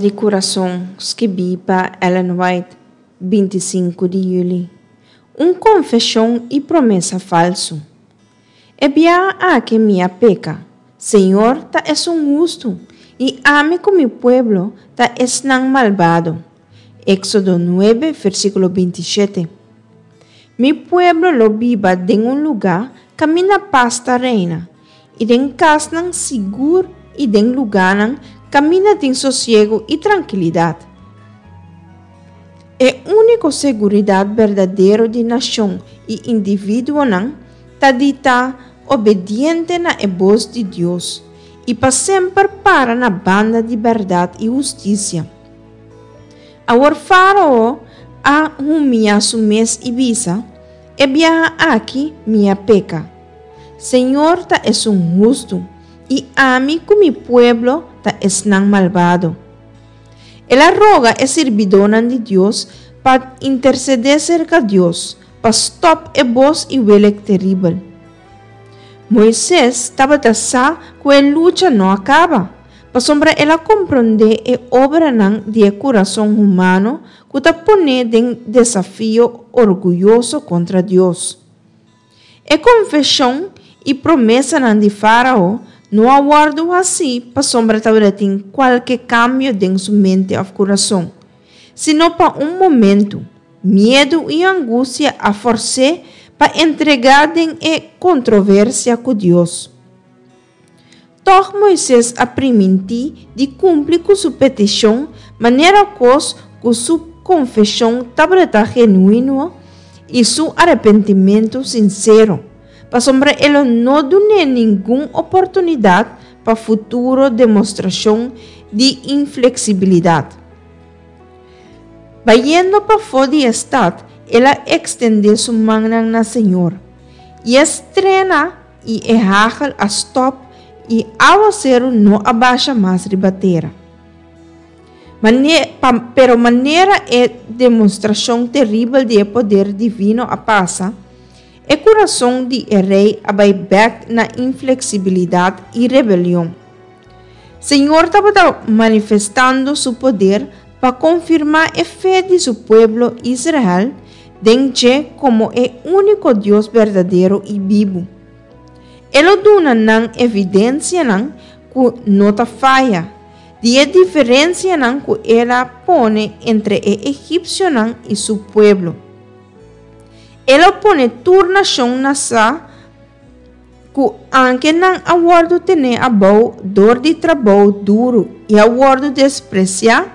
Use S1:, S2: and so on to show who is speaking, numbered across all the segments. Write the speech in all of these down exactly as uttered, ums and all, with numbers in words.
S1: di Kurason, skibí pa Ellen White, binti i sinku di yüli. Un konfeshon i promesa falsu. E biaha aki mi a peka. Señor ta esun hustu, i ami ku mi pueblo ta esnan malbado. Éksodo nuebe, versíkulo binti i shete. Mi pueblo lo biba den un lugá kaminda pas ta reina, i den kasnan sigur i den lugánan kaminda tin sosiegu i trankilidat. E úniko seguridat berdadero di nashon i individuonan ta di ta obediente na e bos di Dios i pa semper para na banda di bèrdat i hustisia. Awor Fárao a humiá su mes i bisa, E biaha aki mi a peka. Señor ta esun hustu, i ami ku mi pueblo ta esnan malbado. El a roga e sirbidónan di Dios pa intersedé serka Dios pa stòp e bos i welek teribel. Moises tabata sa ku e lucha no a kaba, pasobra el a komprondé e obranan di e kurason humano ku ta pon'é den desafio orguyoso kontra Dios. E konfeshon i promesanan di Fárao no a wòrdu hasí pasobra tabatin kualke kambio den su mente òf kurason, sino pa un momentu, miedu i angustia a fòrs'é pa entregá den e kontroversia ku Dios. Tòg Moises a primintí di kumpli ku su petishon manera kos ku su konfeshon tabata genuino i su arepentimentu sinsero, pasobra e lo no dun'é ningun oportunidat pa futuro demostrashon di infleksibilidat. Bayendo pafó di e stat, el a ekstendé su mannan na Señor, i e strena i e hagel a stòp i awaseru no a basha mas riba tera. Mane, pa, pero manera e demostrashon teribel di e poder divino a pasa, e kurason di e rei a bai bèk na infleksibilidat i rebelion. Señor tabata manifestando su poder pa konfirmá e fe di su pueblo Israel den dje komo e úniko Dios berdadero i bibu. E lo duna nan evidensianan ku no ta faya, di e diferensianan ku el a pone entre e egipsionan i su pueblo. E lo pone tur nashon na sa ku anke nan a wòrdu tené abou dor di trabou duru i a wòrdu despresiá,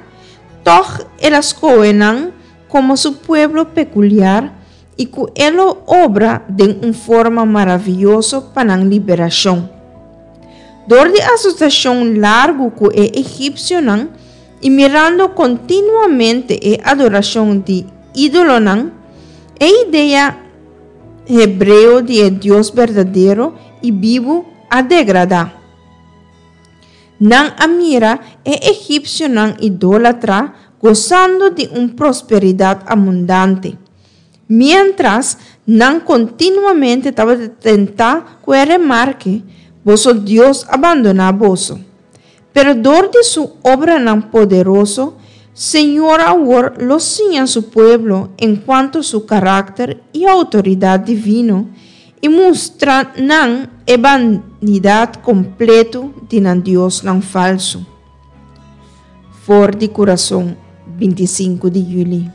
S1: tòg el a skohe nan komo su pueblo pekuliar i ku e lo obra den un forma maravioso pa nan liberashon. Dor di asosiashon largu ku e egipsionan i mirando kontinuamente e adorashon di ídolonan, e idea hebreo di e Dios berdadero i bibu a degradá. Nan a mira e egipsionan idólatra gosando di un prosperidat abundante, miéntras nan kontinuamente tabata tentá ku e remarke, Boso Dios a bandoná boso. Pero dor di su obranan poderoso, Señor awor lo siña su pueblo enkuanto su karakter i outoridat divino i mustra nan e banidat kompleto di nan diosnan falsu. For di Kurason, binti i sinku di yüli.